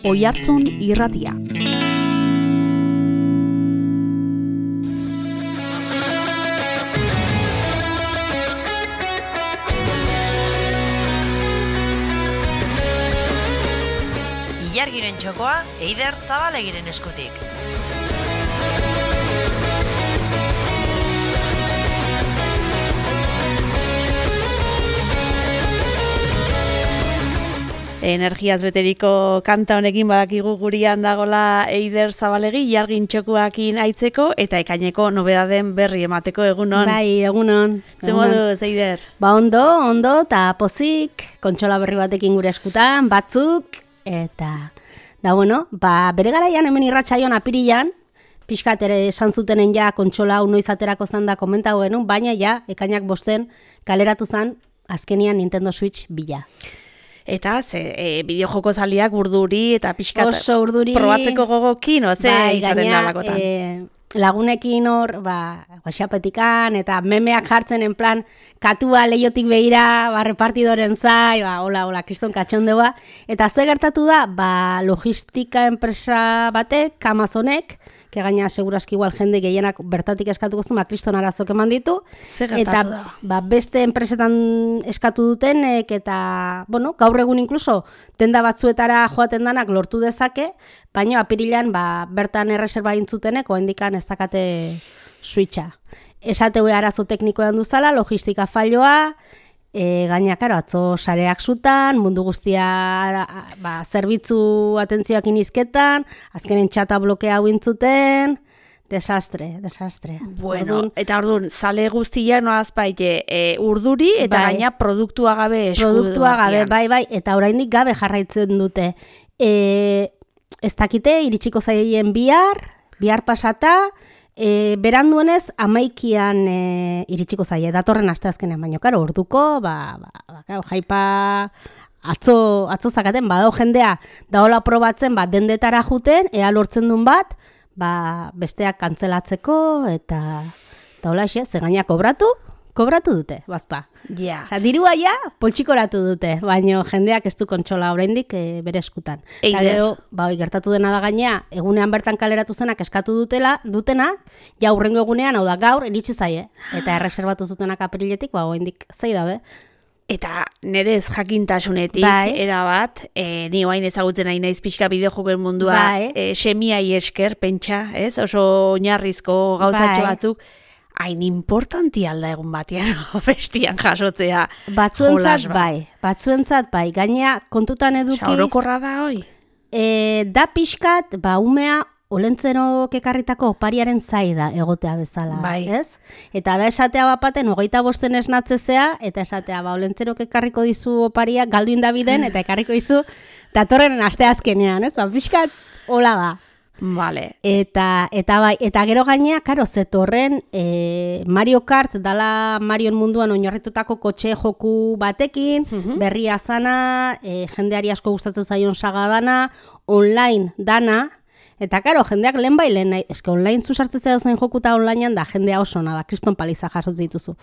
Oihartzun Irratia. Ilargiren txokoa, Eider Zabalegiren eskutik. Energiaz beteriko kanta honekin badakigu gurian dagola Eider Zabalegi, Ilargin txokoakin aitzeko eta ekaineko nobedaden berri emateko egunon. Bai, egunon. Ze moduz, Eider? Ba ondo, eta pozik, kontsola berri batekin gure eskutan, batzuk, eta da bueno, bere garaian hemen irratsaion apirilan, pixkat ere esan zutenen ja kontsola noiz aterako zan da komentago genuen, baina ja, ekainak 5 kaleratu zan, azkenian Nintendo Switch bila. Eta bideojoko zaliak urduri eta pixkat oso urduri, probatzeko gogokin, izaten da lakotan. Lagunekin hor, WhatsAppetikan, eta memeak jartzen en plan, katua leiotik behira, repartidoren zai, hola, kriston katxondeua. Eta ze gertatu da, logistika enpresa batek, Amazonek, que gaina segurazki igual jende gehienak bertatik eskatuko zuen, kriston arazok eman ditu. Ze gertatu da? Beste enpresetan eskatu dutenek, eta, gaur egun inkluso, tenda batzuetara joaten danak lortu dezake, baina apirilan bertan erreserba intzutenek, oendikan ez dakate switcha. Esateu arazo teknikoan duzala, logistika falloa, gaina, karo, atzo sareak zutan, mundu guztia zerbitzu atentzioak inizketan, azkenen txata blokea intzuten, desastre. Bueno, eta orduan, zale guztia noaz baite urduri eta gaina produktua gabe esku. Produktua gabe, bai, eta oraindik gabe jarraitzen dute. Ez dakite, iritsiko zaien bihar pasata, beranduenez 11an iritsiko zaie, datorren asteazkenean, baino, karo, orduko, jaipa atzo zakaten, badao jendea, daola probatzen, dendetara juten, ea lortzen duen bat, besteak kantzelatzeko, eta hola xe, zegaina kobratu dute, bazpa. Ja. Osa, dirua ja, poltsikoratu dute, baina jendeak ez du kontsola oraindik bere eskutan. Eta gero, gertatu dena da gainea, egunean bertan kaleratu zenak eskatu dutenak, ja hurrengo egunean, hau da gaur, iritsi zaie. Eta erreserbatu zutenak apriletik, oraindik zei daude. Eta nire ez jakintasunetik, erabat, ni oain ezagutzen nahi naiz pixka bideojokoen mundua, semiai esker, pentsa, ez? Oso oinarrizko gauzatxo batzuk, hain importanti alda egun batean, bestian jasotzea. Batzuentzat bai, gainea kontutan eduki. Saurokorra da hoi? Da pixkat, umea, olentzerok ekarritako opariaren zaida egotea bezala, ez? Eta da esatea bapaten, 25 esnatzezea, eta esatea, olentzerok ekarriko dizu oparia, galdu indabiden, eta ekarriko dizu, datorren asteazkenean, ez? Pixkat, hola da. Vale. Eta gero gainea, karo, zetorren Mario Kart dala Marion munduan oinarritutako kotxe joku batekin, berria zana, jendeari asko gustatzen zaion saga dana, online dana, eta karo, jendeak lehen eske online zuzartzen zain joku eta onlinean da, jendea oso da, kriston paliza jasotzen dituzu.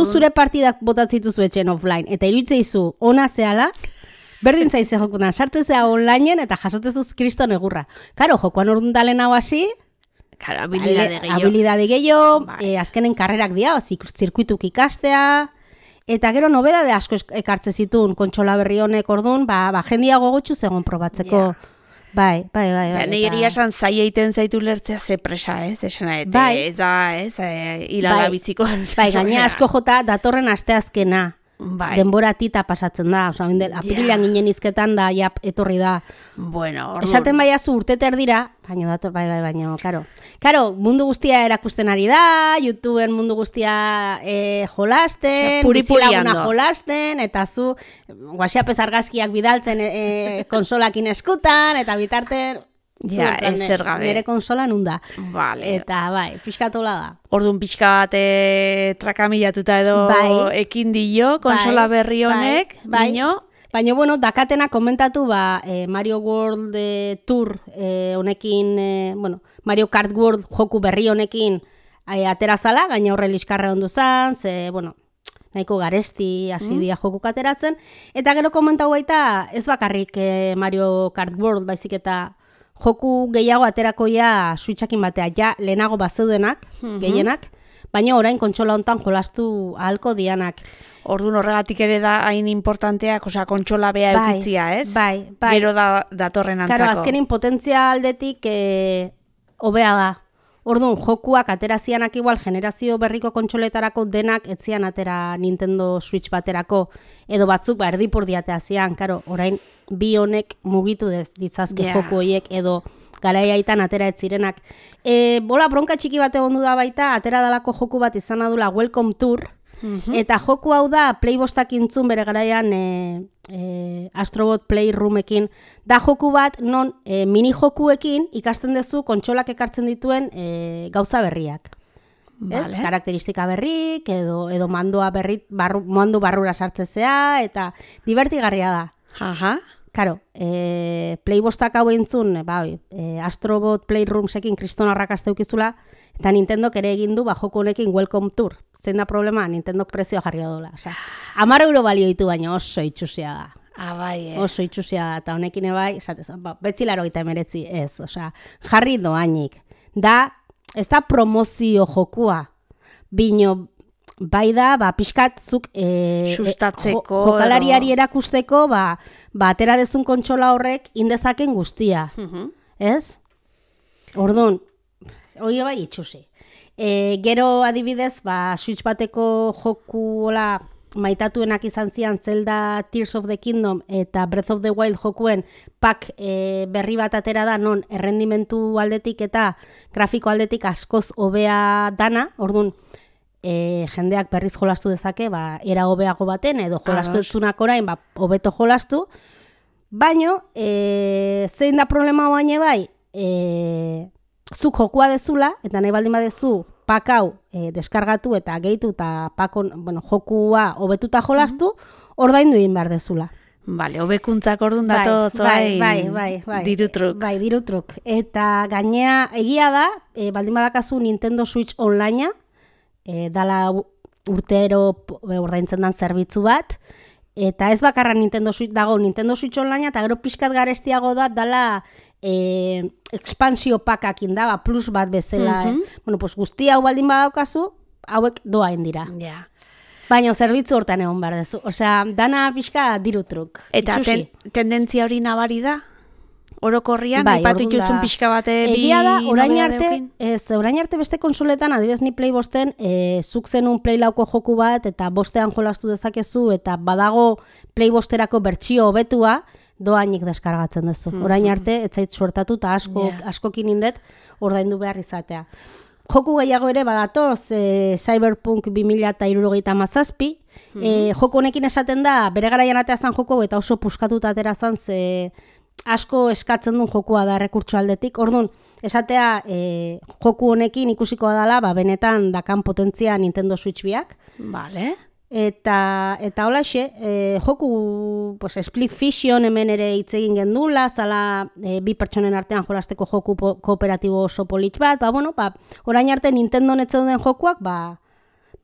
Zure partidak botatzen dituzu etxen offline, eta iruditzen izu, ona zehala, berdin zaize jokutan, sartzezea onlineen eta jasotzezuz kriston egurra. Karo, jokoan orduan dalen hau hasi, habilidade gehiago, azkenen karrerak dira, zirkuituk ikastea, eta gero nobedade asko ekartze zituen kontsola berri honek orduan, jendia gogotxu zegoen probatzeko. Bai. Nire esan zai egiten zaitu lertzea ze presa, ez? Ez da, hilala biziko. Gaina asko jota datorren asteazkena. Denbora tita pasatzen da, apirilan ginen izketan da, etorri da. Bueno, esaten baiazu urteter dira, baina, karo, mundu guztia erakusten ari da, YouTubeen mundu guztia jolasten, bizilaguna jolasten, eta zu, WhatsApp argazkiak bidaltzen konsolakin eskutan, eta bitarten, ezer gabe. Nire konsola nunda. Vale. Eta pixkatola da. Orduan pixka bat trakamilatuta edo ekin dio konsola berri honek, baina bueno, dakatena komentatu Mario World Tour honekin, Mario Kart World joku berri honekin aterazala, gaina horre liskarra ondu zan, nahiko garesti hasi dira jokuk ateratzen, eta gero komentau baita ez bakarrik Mario Kart World, baizik eta joku gehiago aterakoia Switchakin batea, ja lehenago bazeudenak, gehienak, baina orain kontsola hontan jolastu ahalko dianak. Orduan horregatik ere da hain importanteak, osea, kontsola bea eukitzia, ez? Bai. Gero datorren antzako. Karo, azkenin potentzia aldetik hobea da. Orduan, jokuak aterazianak igual generazio berriko kontsoletarako denak etzian atera Nintendo Switch baterako, edo batzuk erdipurdiatea zian, karo, orain bi honek mugitu ditzazke joku horiek, edo garaiaitan atera ez zirenak. Bola bronka txiki bat egon da baita, atera dalako joku bat izan adula Welcome Tour, eta joku hau da Playbostak intzun bere garaian Astrobot Playroomekin, da joku bat non mini jokuekin ikasten duzu kontsolak ekartzen dituen gauza berriak. Vale. Karakteristika berrik, edo mandoa berri, mando barrura sartzezea, eta divertigarria da. Aha. Karo, Playbostak hau entzun, Astrobot Playroomesekin kriston arrakasta eukizula, eta Nintendok ere egin du joku honekin Welcome Tour. Zein da problema, Nintendok prezioa jarri dola. Osa, 10 euro balio ditu, baina oso itxusia da. Bai, Oso itxusia da, eta honekin ebai, betzi 89 ez, osa, jarri doainik. Ez da promozio jokua, bino, bai da, pixkatzuk sustatzeko, jokalariari erakusteko, atera dezun kontsola horrek indezaken guztia. Ez? Orduan, hori bai itxusi. Gero adibidez, Switch bateko joku maitatuenak izan zian Zelda Tears of the Kingdom eta Breath of the Wild jokuen pak berri bat atera da, non errendimentu aldetik eta grafiko aldetik askoz hobea dana, orduan, jendeak berriz jolastu dezake, era hobeago baten, edo jolastu etzunak orain, hobeto jolastu, baino, zein da problema baina bai, zuk jokua dezula, eta nahi baldin badezu pak hau deskargatu eta gehitu eta jokua hobetuta jolastu, ordaindu egin behar dezula. Bale, hobekuntzak orduan datoz, bai, dirutruk. Bai, dirutruk. Eta gainea, egia da, baldin badakazu Nintendo Switch Online, dala urtero ordaintzen dan zerbitzu bat, eta ez bakarra Nintendo Switch dago, Nintendo Switch Online, eta gero pixkat garestiago da, dala expansio pakakin da, plus bat bezala. Guzti hau baldin badaukazu, hauek doain dira. Baina zerbitzu hortan egon behar dezu. Osea, dana pixka dirutruk. Eta tendentzia hori nabari da? Orokorrian, ipatu ituzun pixka bate egia da, orain arte beste konsoletan, adibidez ni Play bosten, zuk zenun Play lauko joku bat, eta bostean jolastu dezakezu, eta badago Play bosterako bertsio hobetua, doainik deskargatzen duzu. Orain arte, ez zait suertatu, eta askokin indet, ordaindu behar izatea. Joku gehiago ere badatoz, Cyberpunk 2077, joku honekin esaten da, bere garaian atea zan joko, eta oso puskatuta atera zan, asko eskatzen duen jokua da errekurtso aldetik. Orduan, esatea joku honekin ikusikoa dela, benetan dakan potentzia Nintendo Switch biak. Vale. Eta holaxe, joku Split Fiction hemen ere hitz egin gendula, zala bi pertsonen artean jolasteko joku kooperatibo oso polit bat, orain arte Nintendo netzen den jokuak,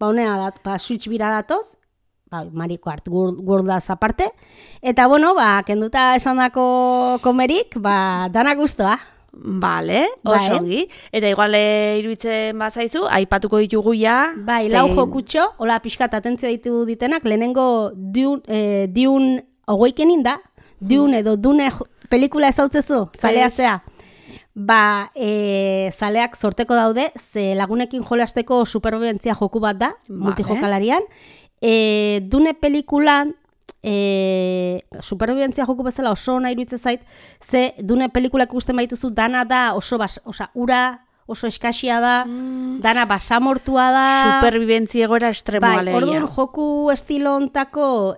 honea da, Switch bira datoz, Mario Kart Worldaz aparte, eta kenduta esandako komerik, dana guztua. Bale, oso ongi. Eta igual iruditzen bazaizu, aipatuko ditugu ja. Lau jokutxo, hola pixkat atentzio ditu ditenak, lehenengo Dune Awakening da, Dune edo Dune pelikula ezautzezu, zalea zea. Zaleak sorteko daude, ze lagunekin jolasteko superbibentzia joku bat da, multijokalarian. Dune pelikulan, superbibentzia joku bezala oso ona iruditzen zait, ze Dune pelikulak ikusten baituzu dana da ura oso eskasia da, dana basamortua da. Superbibentzia egoera estremoa legia. Orduan joku estilo ontako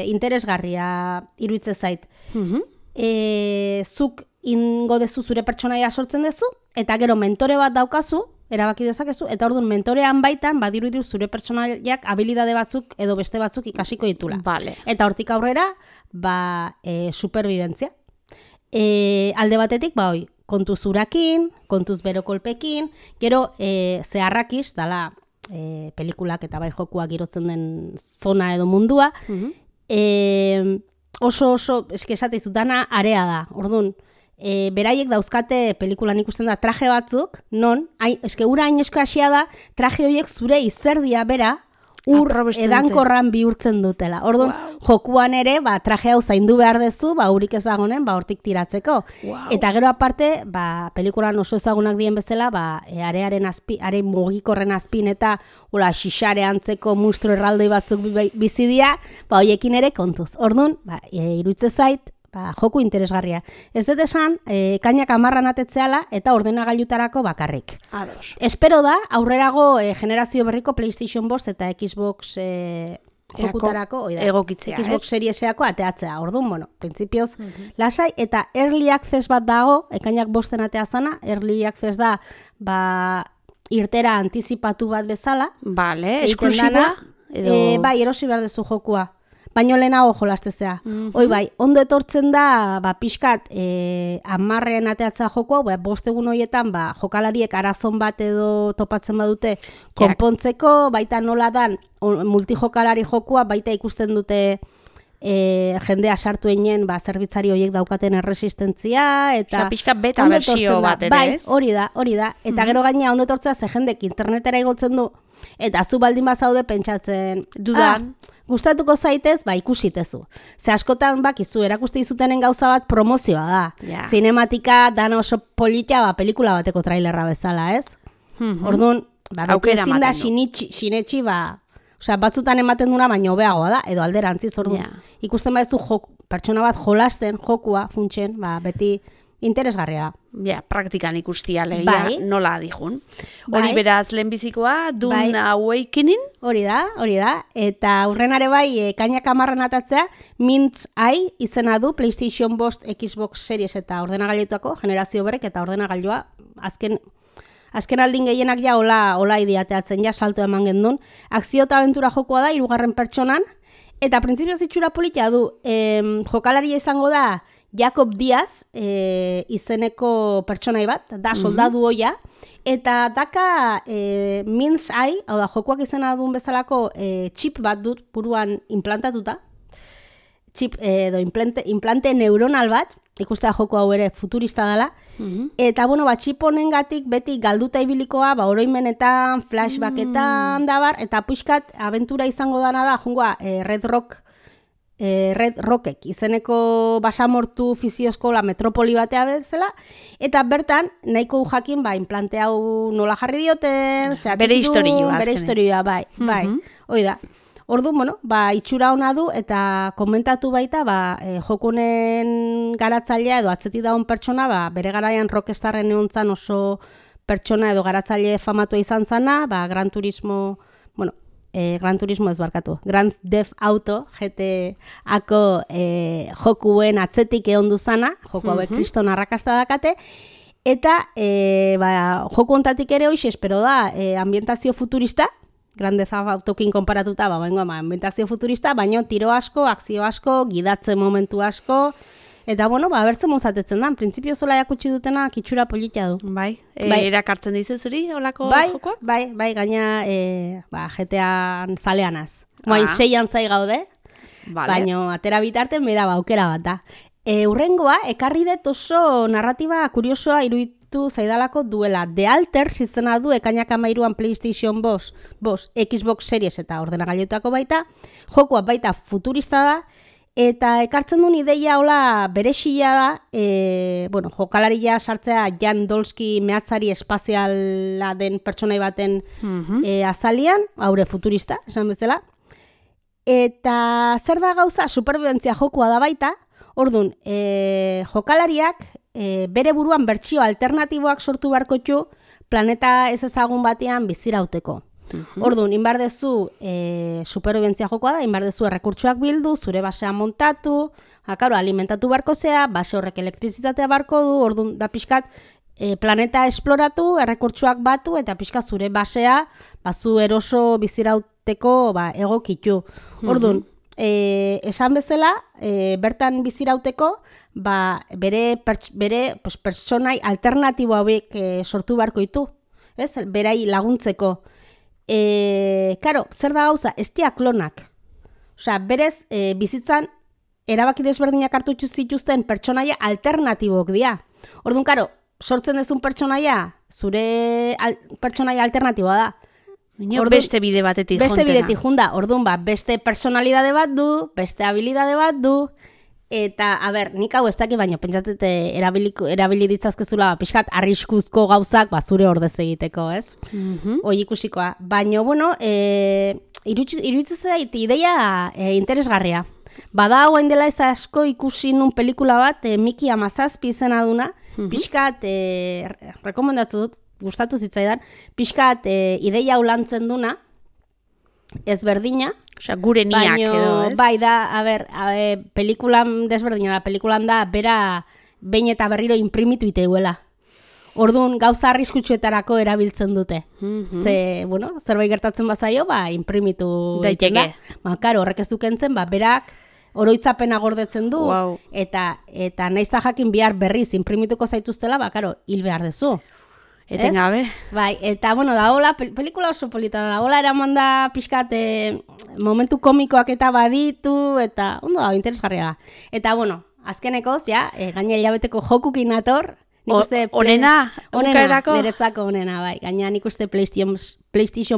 interesgarria iruditzen zait. Zuk ingo dezu zure pertsonaia sortzen dezu, eta gero mentore bat daukazu, erabaki dezakezu, eta orduan mentorean baitan badiruditu zure pertsonaiak habilidade batzuk edo beste batzuk ikasiko ditula. Vale. Eta hortik aurrera, superbibentzia. Alde batetik, kontuz urakin, kontuz bero kolpekin, gero zeharrakiz, dala pelikulak eta bai jokuak girotzen den zona edo mundua, oso, eske esate dana area da, orduan, beraiek dauzkate pelikulan ikusten da traje batzuk, non, eske ura hain eskasia da, traje horiek zure izerdia bera, edankorran bihurtzen dutela. Orduan, jokuan ere, traje hau zaindu behar dezu, urik ezagunen, hortik tiratzeko. Eta gero aparte, pelikulan oso ezagunak dien bezala, arearen are mugikorren azpin eta xixare antzeko mustro erraldoi batzuk bizidia, hoiekin ere kontuz. Orduan, iruitze zait, joku interesgarria. Ez dut esan, kainak 10 atetzeala eta ordenagailutarako bakarrik. Ados. Espero da, aurrerago generazio berriko PlayStation 5 eta Xbox jokutarako, egokitzea, Xbox Serieseako ateatzea. Orduan, printzipioz, lasai, eta Early Access bat dago, ekainak 5 atea zana, Early Access da, irtera antizipatu bat bezala. Vale, esklusiba? Bai, erosi behar dezu jokua. Baino lehenago jolastezea. Hoi bai, ondo etortzen da, pixkat, 10 ateatzea jokoa, 5 egun horietan, jokalariek arazon bat edo topatzen badute konpontzeko, baita nola dan, multijokalari jokoa, baita ikusten dute jendea sartu einen, zerbitzari horiek daukaten erresistentzia, eta... pixkat beta versio bat ere, bai, hori da. Eta gero gaina ondo etortzea, ze jendek internetera igotzen du, eta zu baldin bazaude pentsatzen... Dudan. Gustatuko zaitez, ikusitezu. Ze askotan bakizu, erakuste izutenen gauza bat promozioa da. Zinematika dana oso polita, pelikula bateko trailerra bezala, ez? Orduan, beti ezin da sinetxi, batzutan ematen duna, baina hobeagoa da, edo alderantziz, orduan. Ikusten badezu pertsona bat jolasten, jokua, funtsen, beti interesgarria da. Praktikan ikustia legia, nola adijun. Hori beraz lehenbizikoa, Dune Awakening. Hori da. Eta hurrenare bai, kainak 10 atatzea, Mind's Eye izena du PlayStation 5, Xbox Series eta ordenagailuetako generazio berrek eta ordenagailua azken aldin gehienak hola idiateatzen salto eman gendun. Akzio eta abentura jokoa da, 3. pertsonan, eta printzipioz itxura polita du, jokalaria izango da Jacob Diaz izeneko pertsonai bat, da soldadu hoia, eta daka Mind's Eye, hau da, jokoak izena duen bezalako chip bat dut buruan implantatuta, chip edo implante neuronal bat, ikustea joko hau ere futurista dela, eta chip honengatik beti galduta ibilikoa, oroimenetan, flashbacketan dabar, eta puixkat abentura izango dana da, jungoa Red Rockek izeneko basamortu fiziozko metropoli batea bezala, eta bertan nahiko jakin implante hau nola jarri dioten, bere historioa, bai. Hoi da. Orduan, itxura ona du eta komentatu baita, jokunen garatzailea edo atzetik daun pertsona, bere garaian rockstarren egontzan oso pertsona edo garatzaile famatua izan zana, Gran Turismo ez barkatu, Grand Theft Auto GT-ako jokuen atzetik egon duzana, joku hauek kriston arrakasta dakate, eta joku ontatik ere hoxe espero da ambientazio futurista, Grand Theft Autokin konparatuta, ambientazio futurista, baina tiro asko, akzio asko, gidatze momentu asko, eta bertzen mozatetzen da, printzipio zola jakutsi dutena kitxura polita du. Erakartzen dizu zuri, olako jokoak? Bai, gaina GTA-an zaleanaz. 6an zai gaude, baina atera bitarten beda aukera bat da. Urrengoa, ekarri dut oso narratiba kuriosoa iruditu zaidalako duela. The Alters izena du ekainak 13an PlayStation 5, Xbox Series eta ordenagailuetako baita. Jokua baita futurista da, eta ekartzen duen ideia hola berexia da, jokalaria sartzea Jan Dolski mehatzari espaziala den pertsonai baten azalian, haure futurista, esan bezala. Eta zer da gauza, superbibentzia jokua da baita, orduan, jokalariak bere buruan bertsio alternatiboak sortu beharko ditu planeta ez ezagun batean bizirauteko. Orduan, inbardezu superbibentzia jokoa da, inbardezu errekurtsuak bildu, zure basea montatu, alimentatu barko zea, base horrek elektrizitatea barko du, orduan da pixkat planeta esploratu, errekurtsuak batu, eta pixkat zure basea, zu eroso bizirauteko egokitu. Orduan, esan bezala, bertan bizirauteko, bere pertsonai alternatibo hauek sortu beharko ditu, berai laguntzeko. Karo, zer da gauza, ez dira klonak. Osea, berez, bizitzan, erabaki desberdinak hartu zituzten pertsonaia alternatibok dira. Orduan, karo, sortzen dezun pertsonaia, zure pertsonaia alternatiboa da. Beste bide batetik juntena. Beste bidetik junta. Orduan, beste personalidade bat du, beste habilidade bat du, eta, nik hau ez dakit, baina pentsatzete erabili ditzazkezula pixkat arriskuzko gauzak zure ordez egiteko, ez? Hoi ikusikoa. Baina, bueno, iruditzen zait ideia interesgarria. Bada hauen dela ez asko ikusi nun pelikula bat, Miki 17 izena duna, pixkat, rekomendatu dut, gustatu zitzaidan, pixkat ideia ulantzen duna, ezberdina. Osea, gure niak edo, ez? Bai, da, pelikulan desberdina da, pelikulan da, bera behin eta berriro imprimitu iteuela. Orduan, gauza arriskutsuetarako erabiltzen dute. Ze, bueno, zerbait gertatzen bazaio, imprimitu daiteke. Karo, horrek ez dukentzen, berak oroitzapena gordetzen du, eta nahiz jakin bihar berriz imprimituko zaituztela, karo, hil behar dezu. Etengabe. Bai, eta, bueno, da hola, pelikula oso polita da, hola eraman da pixkat momentu komikoak eta baditu, eta ondo da, interesgarria da. Eta, bueno, azkenekoz, gaina hilabeteko jokukin nator, onena, niretzako onena, bai. Gaina nik uste PlayStation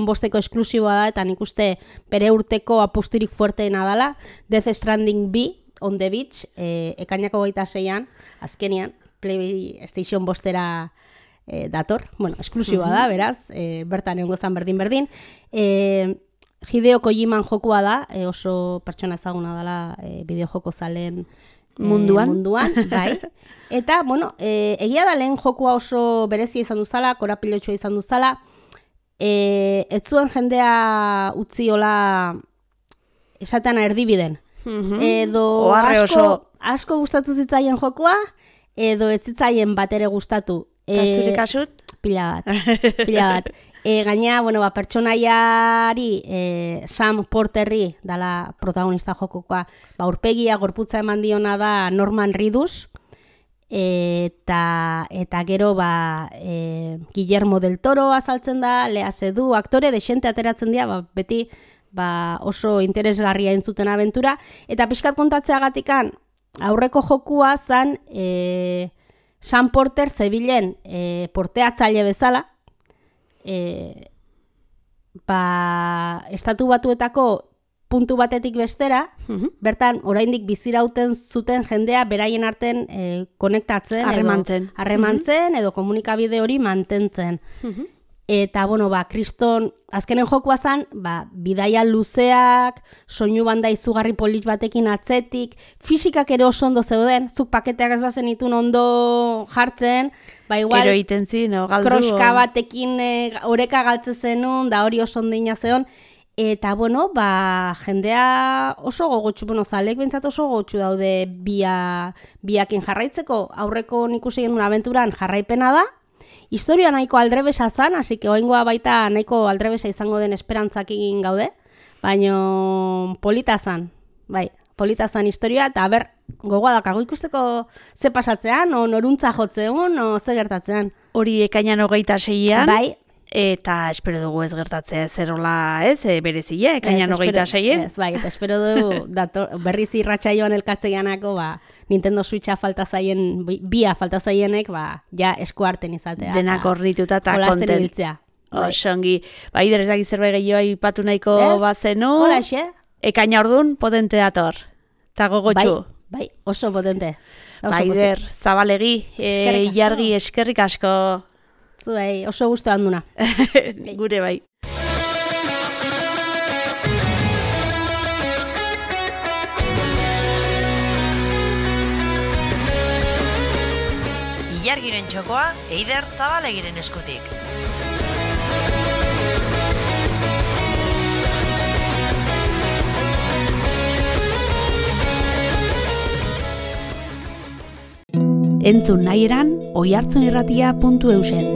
5 esklusiboa da, eta nik uste bere urteko apustirik fuerteena dala, Death Stranding B, on the beach, ekainako 26an, azkenian, PlayStation 5 dator, bueno, esklusiboa da, beraz, bertan egongo zan berdin. Hideo Kojiman jokua da, oso pertsona ezaguna dela bideojoko zaleen munduan, bai. Eta, bueno, egia da lehen jokua oso berezia izan duzala, korapilotxua izan duzala, ez zuen jendea utzi hola esatean erdibiden. Edo asko gustatu zitzaien jokua, edo ez zitzaien bat ere gustatu. Zure kasut? Pila bat. Gaina, bueno, pertsonaiari Sam Porterri dala protagonista jokokoa, aurpegia gorputza eman diona da Norman Reedus, eta gero Guillermo del Toro azaltzen da, Lea Seydoux, aktore desente ateratzen dira, beti oso interesgarria entzuten abentura, eta pixkat kontatzeagatikan aurreko jokua zan Sam Porter zebilen porteatzaile bezala, estatu batuetako puntu batetik bestera, bertan oraindik bizirauten zuten jendea beraien arten konektatzen, harremantzen edo komunikabide hori mantentzen. Eta, bueno, kriston, azkenen jokua zan, bidaia luzeak, soinu banda izugarri polit batekin atzetik, fisikak ere oso ondo zeuden, zuk paketeak ez bazen itun ondo jartzen, igual, kroska batekin oreka galtze zenun, da hori oso ondina zeon, eta, bueno, jendea oso gogotxu, zalek bentsat oso gogotxu daude biakin jarraitzeko, aurreko nik usi genuen abenturan jarraipena da, historia nahiko aldrebesa zan, hasi que oingoa baita nahiko aldrebesa izango den esperantzakin gaude, baino polita zan, polita zan historia, eta gogoa dakago ikusteko ze pasatzean, o noruntza jotzeun, o ze gertatzean. Hori ekainan 26an, eta espero dugu ez gertatzea zerola, berezile, ekainan 26an. Eta espero dugu berriz irratsaioan elkatzeanako, Nintendo Switcha falta zaien, bia falta zaienek, ja eskuarten izatea. Denak horrituta eta konten. Osongi. Ider ez dakit zerbait gehiago aipatu nahiko bazenu. Hola, xe? Ekaina ordun potente dator. Ta gogotxu. Bai, oso potente. Ider, zabalegi, Ilargi eskerrik asko. Zuei, oso gustu handuna. Gure bai. Ilargiren txokoa, Eider Zabalegiren eskutik. Entzun nahi eran, oihartzunirratia.eusen.